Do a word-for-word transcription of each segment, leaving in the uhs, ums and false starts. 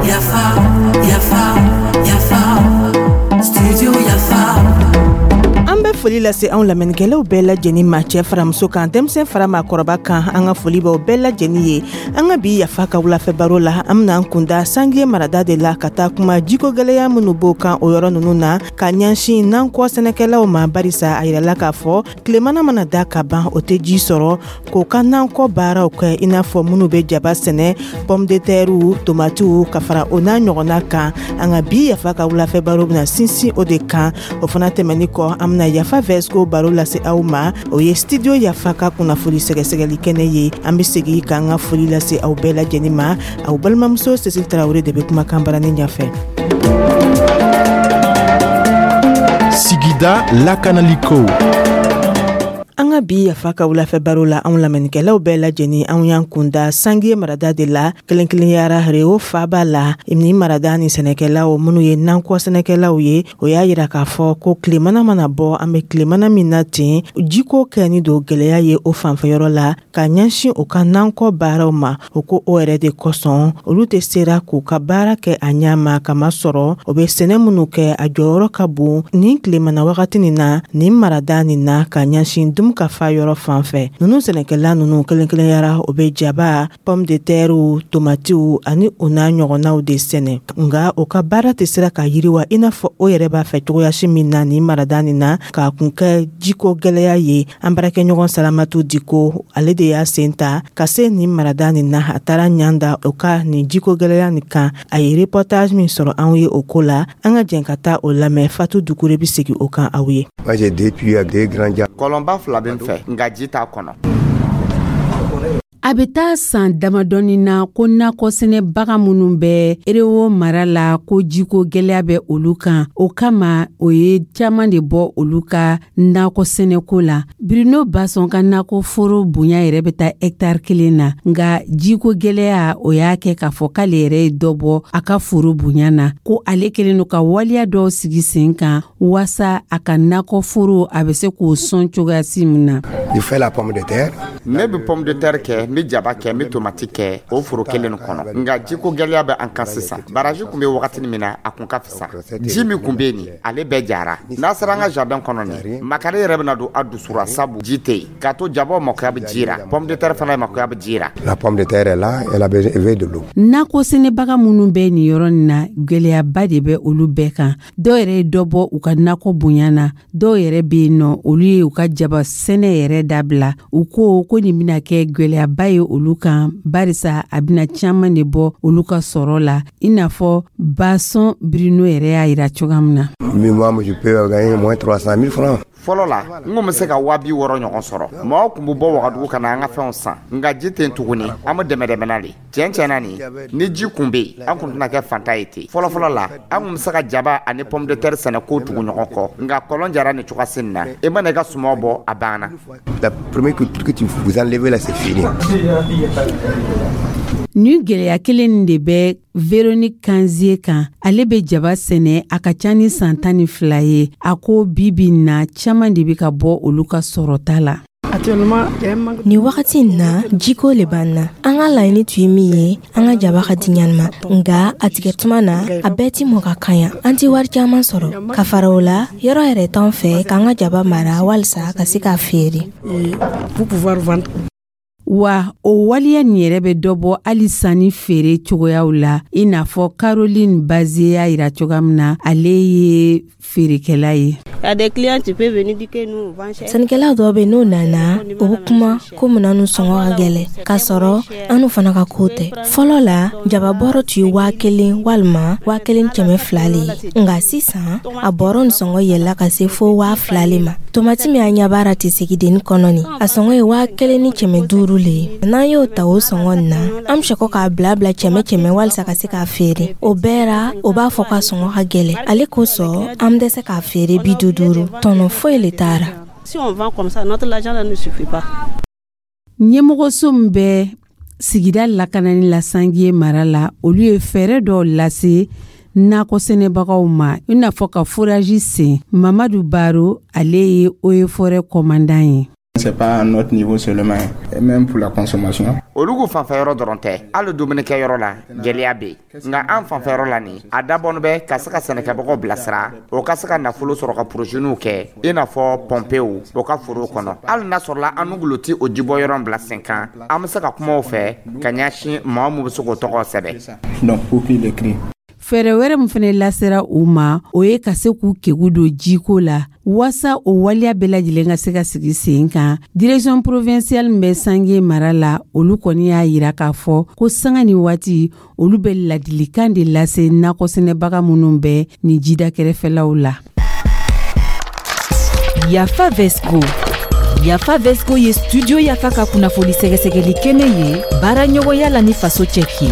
Yafa, yafa, yafa, studio Yafa. An bɛ foli lase anw lamɛnnikɛlaw bɛɛ lajɛlen ma, cɛ faramuso kan, denmisɛn fara maakɔrɔba kan. An ka foli b'aw bɛɛ lajɛlen ye. An ka bi Yafa ka wulafɛ baro la, an bena an kunda Sange marada de la ka taa kuma jiko gwɛlɛya minnu b'o kan o yɔrɔ nunu na ka ɲɛsin nankɔ sɛnɛkɛlaw ma, barisa a yirala k'a fɔ tilemana mana da ka ban, o tɛ ji sɔrɔ k'o ka nankɔ baaraw kɛ, i n'a fɔ minnu bɛ jaba sɛnɛ, pomme de terre, tomatiw, ka fara o n'a ɲɔgɔnna kan. An ka bi Yafa ka wulafɛ baro bena sinsin o de kan. O fana tɛmɛni kɔ, an bena Yafa Vɛsiko baro lase aw ma. O ye Studio Yafa ka kunnafoni sɛgɛsɛgɛli kɛnɛ ye. An be segi k'an ka foli lase aw bɛɛ lajɛlen ma. Aw balimamuso Cécile Tarawele de be kumakan barani ɲɛfɛ. Sigida lakanaliko. An ka bi Yafa ka wulafɛ baro la, anw lamɛnnikɛlaw bɛɛ lajɛlen, anw y'an kunda Sange marada de la, kelenkelenyara Rewo faba la. Ni marada ni sɛnɛkɛlaw minnu ye nankɔ sɛnɛkɛlaw ye, o y'a yira k'a fɔ ko tilemana mana bɔ, an bɛ tilemana min na ten, jiko kɛni don gwɛlɛya ye o fanfɛyɔrɔ la ka ɲɛsin u ka nankɔ baaraw ma. O ko o yɛrɛ de kosɔn, olu tɛ sera k'u ka baara kɛ a ɲɛ ma, kamasɔrɔ o bɛ sɛnɛ minnu kɛ, a jɔyɔrɔ ka bon nin tilemana wagati nin na nin marada nin na ka ɲɛsin dun ka fa yɔrɔ fan fɛ. Nunu sɛnɛkɛla nunu kelen kelenyara, o bɛ jaba, pomme de terre, tomatiw ani o n'a ɲɔgɔnnaw de sɛnɛ, nga o ka baara tɛ sera ka yiriwa i n'a fɔ o yɛrɛ b'a fɛ cogoyasi min na nin marada nin na, k'a kun kɛ jiko gwɛlɛya ye. An baarakɛɲɔgɔn Salamatu Diko, ale de y'a sen ta ka se nin marada nin na. A taara ɲan da o ka nin jiko gwɛlɛya nin kan. A ye reportage min sɔrɔ anw ye o ko la, an ka jɛn ka taa o lamɛn. Fatu Dukure bɛ segin o kan aw ye. Kɔlɔnba fila bɛ n fɛ, nka ji t'a kɔnɔ. A bɛ taa san damadɔni na ko nakɔ sɛnɛbaga minnu bɛ Erewo mara la, ko jiko gwɛlɛya bɛ olu kan. O kama, o ye caman de bɔ olu ka nakɔ sɛnɛko la. Bruno Basɔn ka nakɔ foro bonya yɛrɛ bɛ taa hɛkitari kelen na, nka jiko gwɛlɛya, o y'a kɛ k'a fɔ k'ale yɛrɛ ye dɔ bɔ a ka foro bonya na, ko ale kɛlen don ka waleya dɔw sigi sen kan waasa a ka nakɔ foro, a bɛ se k'o sɔn cogoyasi min na. Ne bɛ pomme de terre kɛ, n bɛ jaba kɛ, n bɛ tomati kɛ o foro kelen nin kɔnɔ, nka jiko gɛlɛya bɛ an kan sisan. Baraji tun bɛ wagati min na, a kun ka fisa. Ji min tun bɛ yen nin, ale bɛɛ jara. N'a sera an ka jardin kɔnɔ nin, makari yɛrɛ bɛna don a dusura, sabu ji tɛ yen k'a to jabaw makoya bɛ ji la, pomme de terre fana makoya bɛ ji la. La pomme de terre est là, elle a besoin de l'eau. Nakɔ sɛnɛbaga minnu bɛ nin yɔrɔ nin na, gwɛlɛyaba de bɛ olu bɛɛ kan. Dɔw yɛrɛ ye dɔ bɔ u ka nakɔ bonya na, dɔw yɛrɛ bɛ yen nɔ, olu ye u ka jaba sɛnɛ yɛrɛ dabila. U ko ko nin bɛna kɛ gwɛlɛyaba ye olu kan, barisa a bɛna caman de bɔ olu ka sɔrɔ la, i n'a fɔ Basɔn Bruno yɛrɛ y'a yira cogoya min na. Fɔlɔ la, n kun bɛ se ka waa bi wɔɔrɔ ɲɔgɔn sɔrɔ. Mɔgɔw tun bɛ bɔ Wagadugu ka na an ka fɛnw san, nka ji tɛ yen tuguni. An bɛ dɛmɛ dɛmɛna de. Tiɲɛ tiɲɛ na, nin ni ji kun bɛ yen, an kun tɛna kɛ fantan ye ten. Fɔlɔ fɔlɔ la, an kun bɛ se ka jaba ani pomme de terre sɛnɛ k'o tugu ɲɔgɔn kɔ, nka kɔlɔn jara nin cogoya nin na, i mana i ka sumaw bɔ, a banna. La première culture que tu vous enlevez là, c'est fini. Nin gwɛlɛya kelen nin de bɛ Véronique Kanzie kan. Ale bɛ jaba sɛnɛ a ka ca ni san tan ni fila ye. A ko bi bi na, caman de bɛ ka bɔ olu ka sɔrɔta la. Nin wagati in na, jiko le b'an na. An ka laɲini tun ye min ye, an ka jaba ka di ɲanima, nga a tigɛ tuma na, a bɛɛ ti mɔ ka kaɲa. An ti wari caman sɔrɔ ka fara o la. Yɔrɔ yɛrɛ t'an fɛ k'an ka jaba mara walisa ka se k'a feere. Wa o waleya nin yɛrɛ bɛ dɔ bɔ hali sanni feere cogoyaw la, i n'a fɔ Caroline Bazie y'a yira cogoya min na, ale ye feerekɛla ye. Sannikɛlaw dɔw bɛ, n'o nana, u bɛ kuma ko munna nu sɔngɔ ka gɛlɛ, k'a sɔrɔ an fana ka ko tɛ. Fɔlɔ la, jaba bɔrɔ tun ye waa kelen walima waa kelen kɛmɛ fila le ye, nka sisan a bɔrɔ nin sɔngɔ yɛlɛla ka se fo waa fila le ma. Tomati min an ɲɛ tɛ sigidennin kɔnɔ nin, a sɔngɔ ye waa kelen ni kɛmɛ duuru le ye. N'an y'o ta o sɔngɔ nin na, an bɛ sɔrɔ k'a bila bila kɛmɛ kɛmɛ walisa ka se k'a feere. O bɛɛ ra, o b'a fɔ k'a sɔngɔ ka gɛlɛ. Ale kosɔn, an bɛ dɛsɛ k'a feere bi duuru. Tɔnɔ foyi le t'a ra. Si on vend comme ça, notre argent ne suffit pas. Ɲɛmɔgɔso min bɛ sigida lakanani la Sangiye mara la, olu ye fɛɛrɛ dɔw lase nakɔ sɛnɛbagaw ma, i n'a fɔ ka forage sen. Mamadu Baro, ale ye eaux et forêts commandant ye. C'est pas à notre niveau seulement, et même pour la consommation. Olugu fanfɛyɔrɔ dɔrɔn tɛ, hali dumunikɛyɔrɔ la gɛlɛya bɛ yen. Nka an fanfɛyɔrɔ la nin, a dabɔnin bɛ ka se ka sɛnɛkɛbagaw bilasira, o ka se ka nafolo sɔrɔ ka poroziniw kɛ, i n'a fɔ pɔnpew o ka foro kɔnɔ. Hali n'a sɔrɔla an nugulo ti o jibɔ yɔrɔ bila sen kan, an bɛ se ka kuma o fɛ ka ɲɛsin maa min bɛ se k'o tɔgɔ sɛbɛn. Donc pour qu'il écrit. Fɛɛrɛ wɛrɛ min fɛnɛ lasera u ma, o ye ka se k'u kegu don jiko la, waasa o waleya bɛɛ lajɛlen ka se ka sigi sen kan. Direction provinciale min bɛ Sange mara la, olu kɔni y'a yira k'a fɔ ko sanga ni waati olu bɛ ladilikan de lase nakɔsɛnɛbaga minnu bɛ nin jida kɛrɛfɛlaw la. Yafa Vesco. Yafa Vesco ye Studio Yafa ka kunnafoni sɛgɛsɛgɛli kɛnɛ ye, baara ɲɔgɔnya la ni Faso Cɛki.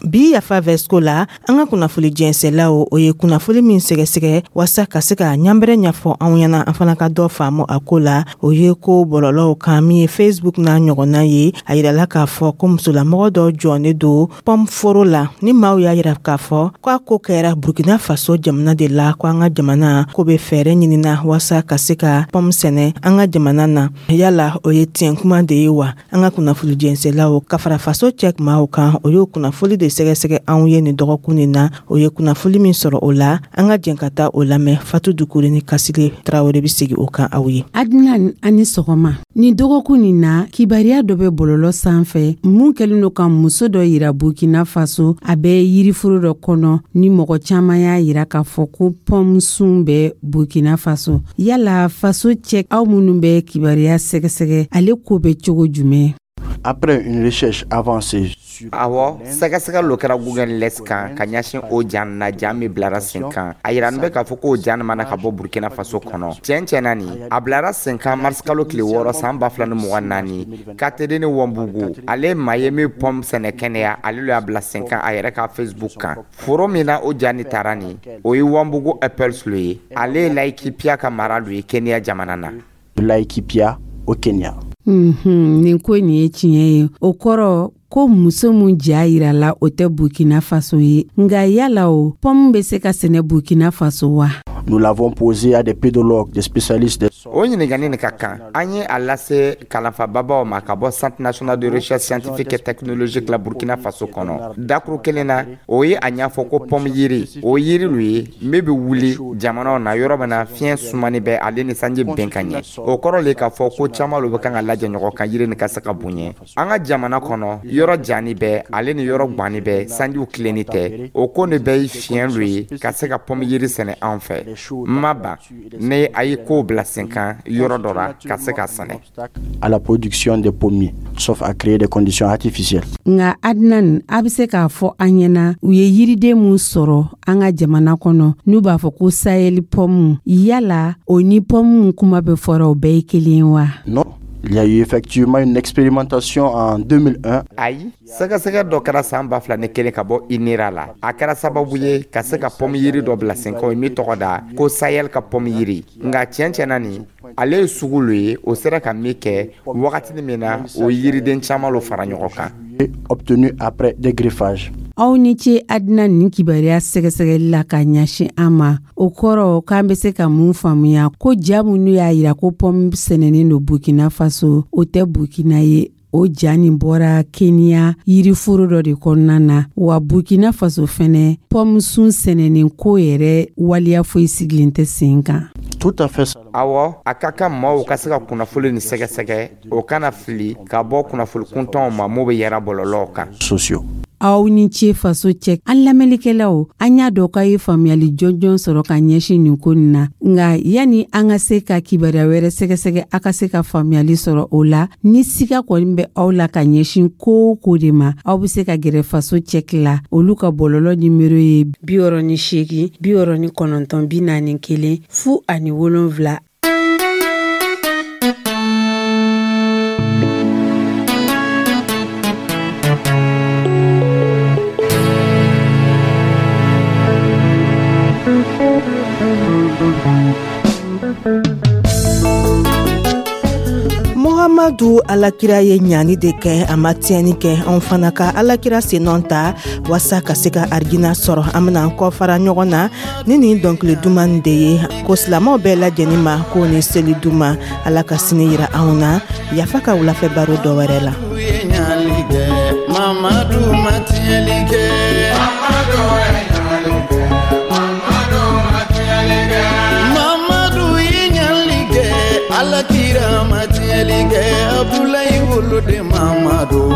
Bi Yafa Vɛsiko la, an ka kunnafoli jɛnsɛlaw, o ye kunnafoli min sɛgɛsɛgɛ waasa ka se ka ɲanbɛrɛ ɲɛfɔ anw ɲɛna, an fana ka dɔ faamu a ko la, o ye ko bɔlɔlɔw kan min ye Facebook n'a ɲɔgɔnna ye. A yirala k'a fɔ ko musolamɔgɔ dɔ jɔnnen don pɔm foro la, ni maaw y'a yira k'a fɔ k'a ko kɛra Burkina Faso jamana de la, ko an ka jamana ko bɛ fɛɛrɛ ɲinina waasa ka se ka pɔm sɛnɛ an ka jamana na. Yala o ye tiɲɛ kuma de ye wa? An ka kunnafoli jɛnsɛlaw ka fara Faso Cɛ maaw kan, o y'o kunnafoli de sɛgɛsɛgɛ anw ye nin dɔgɔkun nin na. O ye kunnafoli min sɔrɔ o la, an ka jɛn ka taa o lamɛn. Fatu Dukure ni Kasile Tarawele bɛ sigi o kan aw ye. Adnan, ani sɔgɔma. Nin dɔgɔkun nin na, kibariya dɔ bɛ bɔlɔlɔ sanfɛ mun kɛlen don ka muso dɔ yira Burkina Faso, a bɛ yiriforo dɔ kɔnɔ, ni mɔgɔ caman y'a yira k'a fɔ ko pɔmusun bɛ Burkina Faso. Yala Faso Cɛ, aw minnu bɛ kibariya sɛgɛsɛgɛ, ale ko bɛ cogo jumɛn? Après une recherche avancée. Awɔ, sɛgɛsɛgɛ lo kɛra Google Lens kan ka ɲɛsin o ja na, ja min bilara sen kan. A yiranin bɛ k'a fɔ k'o ja mana ka bɔ Burkina Faso kɔnɔ. Tiɲɛ tiɲɛna nin, a bilara sen kan marisikalo tile wɔɔrɔ san ba fila ni mugan naani. Katerine Wɔnbugu, ale maa ye min pɔm sɛnɛ kɛnɛya, ale lo y'a bila sen kan a yɛrɛ ka Facebook kan. Foro min na o ja ni taara nin, o ye Wanbugu Apples lo ye. Ale ye Laikipia ka mara lo ye Kenya jamana na. Laikipia au Kenya. Mm nin ko nin ye tiɲɛ ye. O kɔrɔ ko muso mun ja yirala, o tɛ Burkina Faso ye. Nka yala o pɔmu bɛ se ka sɛnɛ Burkina Faso wa? Nous l'avons posé à des pédologues, des spécialistes des O ɲininkali nin ka kan. An ye a lase kalanfababaw ma ka bɔ Centre national de recherche scientifique et technologique la Burkina Faso kɔnɔ. Dakuru kelen na, o ye a ɲɛfɔ ko pɔmu yiri, o yiri lu ye min bɛ wuli jamanaw na yɔrɔ min na fiɲɛ sumani bɛ, ale ni sanji bɛn ka ɲɛ. O kɔrɔ le k'a fɔ ko caman lo bɛ kan ka lajɛ ɲɔgɔn kan yiri nin ka se ka bonya an ka jamana kɔnɔ. Yɔrɔ jani bɛ, ale ni yɔrɔ gwani bɛ, sanjiw tilenni tɛ, o ko nin bɛɛ ye fiɲɛ lu ye ka se ka pɔmu yiri sɛnɛ anw fɛ. Ma ban ni a ye kow bila sen kan yɔrɔ dɔ la ka se ka sɛnɛ. À la production des pommiers, sauf à créer des conditions artificielles. Nka Adnan, a bɛ se k'a fɔ an ɲɛna, u ye yiriden mun sɔrɔ an ka jamana kɔnɔ n'u b'a fɔ ko Sahel pɔmu, yala o ni pɔmu kuma bɛ fɔra, o bɛɛ ye kelen ye wa? Non, il y a eu effectivement une expérimentation en deux mille un. Ayi, sɛgɛsɛgɛ dɔ kɛra san ba fila ni kelen ka bɔ INERA la. A kɛra sababu ye ka se ka pɔmu yiri dɔ bila sen kan, o ye min tɔgɔ da ko Sahel ka pɔmu yiri. Nka tiɲɛ tiɲɛna nin, ale ye sugu lo ye, o sera ka min kɛ wagatini min na, o yiriden caman lo fara ɲɔgɔn kan. Obtenu après des greffages. Aw ni ce Adina, nin kibaruya sɛgɛsɛgɛli la ka ɲɛsin an ma. O kɔrɔ k'an bɛ se ka mun faamuya? Ko ja minnu y'a yira ko pɔmu sɛnɛnen don Burkina Faso, o tɛ Burkina ye. O ja nin bɔra Keniya yiriforo dɔ de kɔnɔna na. Wa Burkina Faso fɛnɛ, pɔmusun sɛnɛnen ko yɛrɛ waleya foyi sigilen tɛ sen kan. Tout à fait. Awɔ, a ka kan maaw ka se ka kunnafoli ni sɛgɛsɛgɛ, o kana fili ka bɔ kunnafoli kuntanw ma mun bɛ yɛrɛ bɔlɔlɔw kan. Sociaux. Aw ni ce Faso Cɛ. An lamɛnlikɛlaw, an y'a dɔn k'a ye faamuyali jɔnjɔn sɔrɔ ka ɲɛsin nin ko nin na. Nka yani an ka se ka kibaruya wɛrɛ sɛgɛsɛgɛ, a ka se ka faamuyali sɔrɔ o la, ni siga kɔni bɛ aw la ka ɲɛsin ko o ko de ma, aw be se ka gɛrɛ Faso Cɛki la. Olu ka bɔlɔlɔ nimero ye bi wɔɔrɔ ni seegin bi wɔɔrɔ ni kɔnɔntɔn bi naani kelen fu ani wolonfila. Mamadu, Alakira ye ɲani de kɛ, a ma tiɲɛni kɛ. Anw fana ka Alakira sennɔ ta waasa ka se ka arijina sɔrɔ. An bena an kɔ fara ɲɔgɔn na ni nin dɔnkili duman de ye ko silamɛw bɛɛ lajɛnin ma k'o ni seli duman. Ala ka sini yira anw na. Yafa ka wulafɛ baro dɔ wɛrɛ la. Mamadu ma tiɲɛli kɛ. Mamadu ye ɲali kɛ, Mamadu ma tiɲɛli kɛ. Mamadu ye ɲali kɛ, Alakira ma tiɲɛli kɛ. Abulayi woloden Mamadu.